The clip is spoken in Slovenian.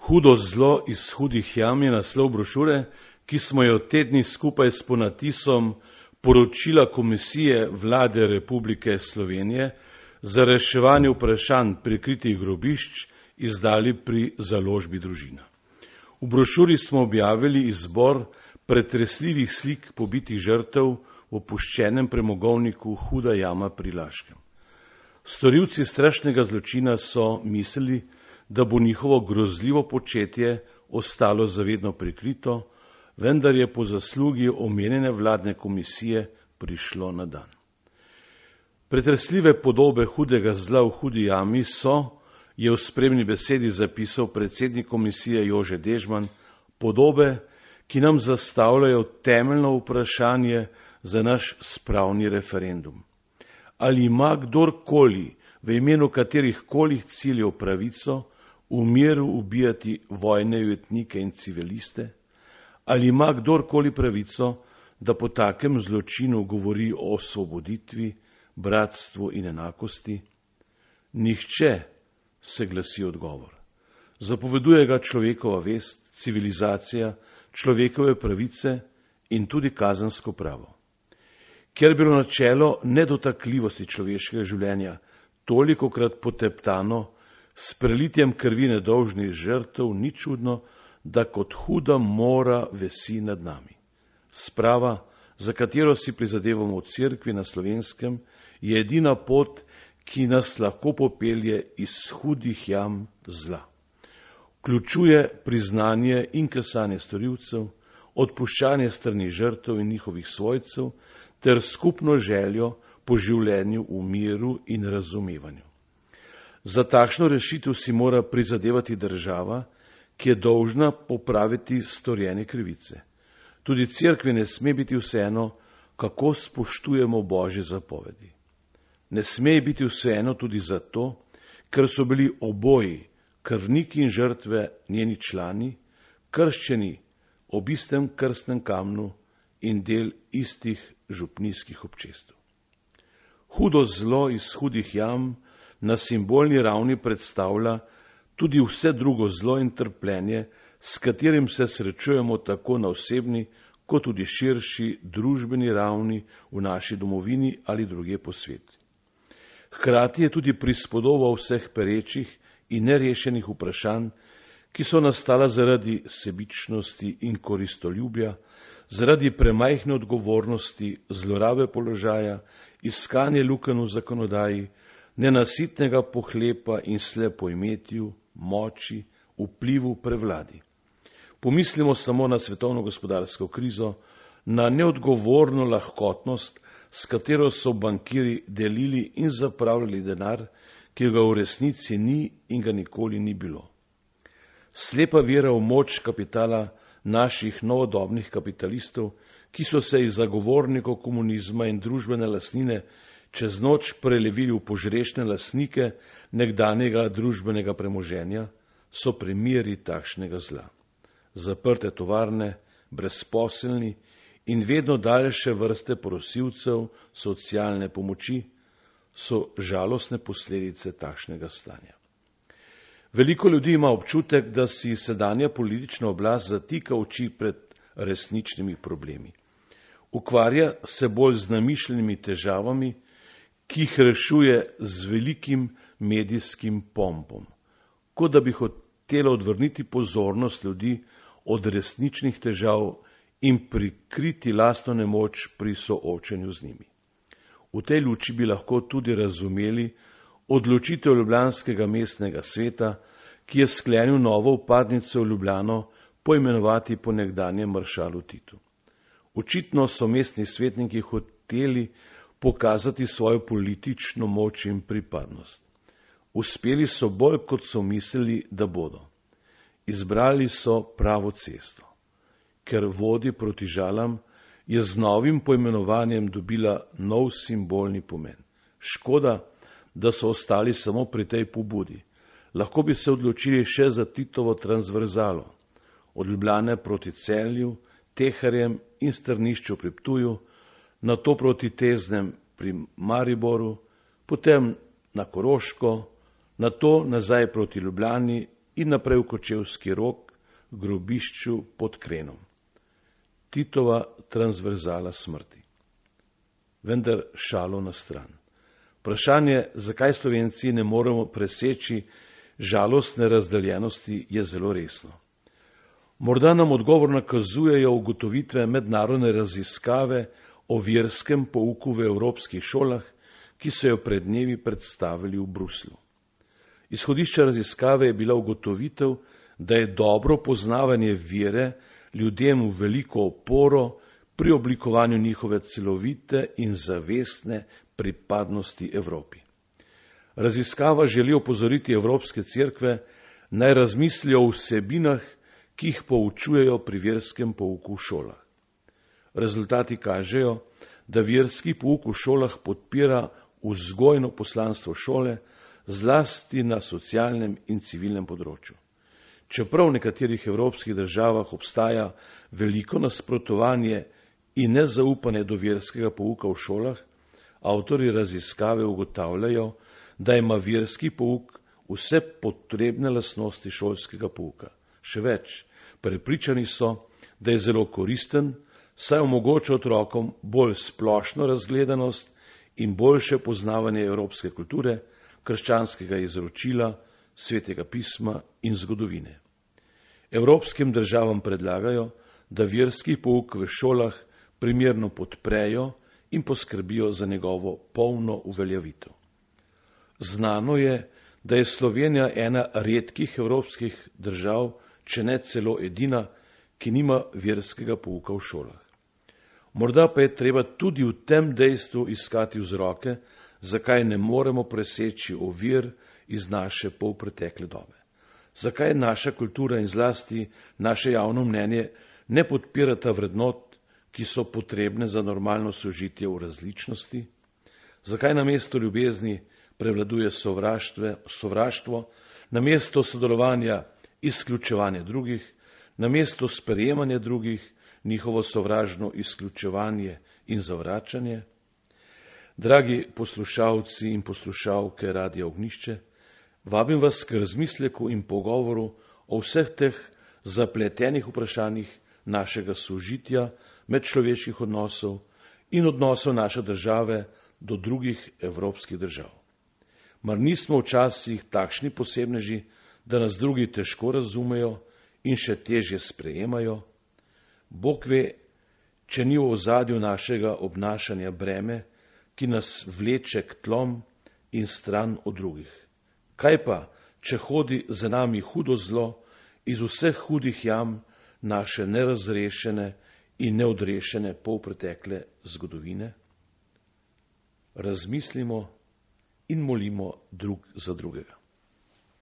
Hudo zlo iz hudih jam je naslov brošure, ki smo jo te dni skupaj s ponatisom Poročila Komisije Vlade Republike Slovenije za reševanje vprašanj prikritih grobišč izdali pri založbi Družina. V brošuri smo objavili izbor pretresljivih slik pobitih žrtev v opuščenem premogovniku Huda jama pri Laškem. Storilci strašnega zločina so mislili, da bo njihovo grozljivo početje ostalo zavedno prikrito, vendar je po zaslugi omenjene vladne komisije prišlo na dan. Pretresljive podobe hudega zla v Hudi jami je v spremni besedi zapisal predsednik komisije Jože Dežman, podobe, ki nam zastavljajo temeljno vprašanje za naš spravni referendum. Ali ima kdorkoli v imenu katerihkoli ciljev pravico v miru ubijati vojne ujetnike in civiliste? Ali ima kdorkoli pravico, da po takem zločinu govori o osvoboditvi, bratstvu in enakosti? Nihče, se glasi odgovor. Zapoveduje ga človekova vest, civilizacija, človekove pravice in tudi kazensko pravo. Ker je bilo načelo nedotakljivosti človeškega življenja tolikokrat poteptano s prelitjem krvi nedolžnih žrtev, ni čudno, da kot huda mora vesi nad nami. Sprava, za katero si prizadevamo v cerkvi na Slovenskem, je edina pot, ki nas lahko popelje iz hudih jam zla. Vključuje priznanje in kesanje storilcev, odpuščanje strani žrtev in njihovih svojcev ter skupno željo po življenju v miru in razumevanju. Za takšno rešitev si mora prizadevati država, ki je dolžna popraviti storjene krivice. Tudi cerkvi ne sme biti vseeno, kako spoštujemo Božje zapovedi. Ne sme biti vseeno tudi zato, ker so bili oboji, krvniki in žrtve, njeni člani, krščeni ob istem krstnem kamnu in del istih župnijskih občestev. Hudo zlo iz hudih jam na simbolni ravni predstavlja tudi vse drugo zlo in trpljenje, s katerim se srečujemo tako na osebni, kot tudi širši družbeni ravni v naši domovini ali drugje po svetu. Hkrati je tudi prispodoba vseh perečih in nerešenih vprašanj, ki so nastala zaradi sebičnosti in koristoljubja, zaradi premajhne odgovornosti, zlorabe položaja, iskanje lukenj v zakonodaji, nenasitnega pohlepa in slepoimetju, moči, vplivu, prevladi. Pomislimo samo na svetovno gospodarsko krizo, na neodgovorno lahkotnost, s katero so bankiri delili in zapravljali denar, ki ga v resnici ni in ga nikoli ni bilo. Slepa vera v moč kapitala naših novodobnih kapitalistov, ki so se iz zagovornikov komunizma in družbene lastnine čez noč prelevili v požrešne lastnike nekdanjega družbenega premoženja, so primeri takšnega zla. Zaprte tovarne, brezposelni in vedno daljše vrste prosilcev socialne pomoči so žalostne posledice takšnega stanja. Veliko ljudi ima občutek, da si sedanja politična oblast zatika oči pred resničnimi problemi. Ukvarja se bolj z namišljenimi težavami, ki jih rešuje z velikim medijskim pompom, kot da bi hotela odvrniti pozornost ljudi od resničnih težav in prikriti lastno nemoč pri soočenju z njimi. V tej luči bi lahko tudi razumeli odločitev ljubljanskega mestnega sveta, ki je sklenil novo vpadnico v Ljubljano poimenovati po nekdanjem maršalu Titu. Očitno so mestni svetniki hoteli pokazati svojo politično moč in pripadnost. Uspeli so bolj, kot so mislili, da bodo. Izbrali so pravo cesto. Ker vodi proti žalam, je z novim poimenovanjem dobila nov simbolni pomen. Škoda, da so ostali samo pri tej pobudi. Lahko bi se odločili še za Titovo transverzalo, od Ljubljane proti Celju, Teharjem in Strnišču pri Ptuju, nato proti Teznem pri Mariboru, potem na Koroško, nato nazaj proti Ljubljani in naprej v Kočevski Rog, grobišču pod Krenom. Titova transverzala smrti. Vendar šalo na stran. Vprašanje, zakaj Slovenci ne moremo preseči žalostne razdeljenosti, je zelo resno. Morda nam odgovor nakazujejo ugotovitve mednarodne raziskave o verskem pouku v evropskih šolah, ki so jo pred dnevi predstavili v Bruslju. Izhodišče raziskave je bila ugotovitev, da je dobro poznavanje vere ljudem v veliko oporo pri oblikovanju njihove celovite in zavestne pripadnosti Evropi. Raziskava želi opozoriti evropske cerkve, naj razmislijo o vsebinah, ki jih poučujejo pri verskem pouku v šolah. Rezultati kažejo, da verski pouk v šolah podpira vzgojno poslanstvo šole, zlasti na socialnem in civilnem področju. Čeprav v nekaterih evropskih državah obstaja veliko nasprotovanje in nezaupanje do verskega pouka v šolah, avtorji raziskave ugotavljajo, da ima verski pouk vse potrebne lastnosti šolskega pouka. Še več, prepričani so, da je zelo koristen, saj omogoča otrokom bolj splošno razgledanost in boljše poznavanje evropske kulture, krščanskega izročila, svetega pisma in zgodovine. Evropskim državam predlagajo, da verski pouk v šolah primerno podprejo in poskrbijo za njegovo polno uveljavitev. Znano je, da je Slovenija ena redkih evropskih držav, če ne celo edina, ki nima verskega pouka v šolah. Morda pa je treba tudi v tem dejstvu iskati vzroke, zakaj ne moremo preseči ovir iz naše polpretekle dobe. Zakaj naša kultura in zlasti naše javno mnenje ne podpirata vrednot, ki so potrebne za normalno sožitje v različnosti? Zakaj namesto ljubezni prevladuje sovraštvo, namesto sodelovanja izključevanje drugih, namesto sprejemanja drugih, njihovo sovražno izključevanje in zavračanje? Dragi poslušalci in poslušalke Radia Ognjišče, vabim vas k razmisleku in pogovoru o vseh teh zapletenih vprašanjih našega sožitja, medčloveških odnosov in odnosov naše države do drugih evropskih držav. Mar nismo včasih takšni posebneži, da nas drugi težko razumejo in še težje sprejemajo? Bog ve, če ni v ozadju našega obnašanja breme, ki nas vleče k tlom in stran od drugih. Kaj pa, če hodi za nami hudo zlo iz vseh hudih jam naše nerazrešene in neodrešene polpretekle zgodovine? Razmislimo in molimo drug za drugega.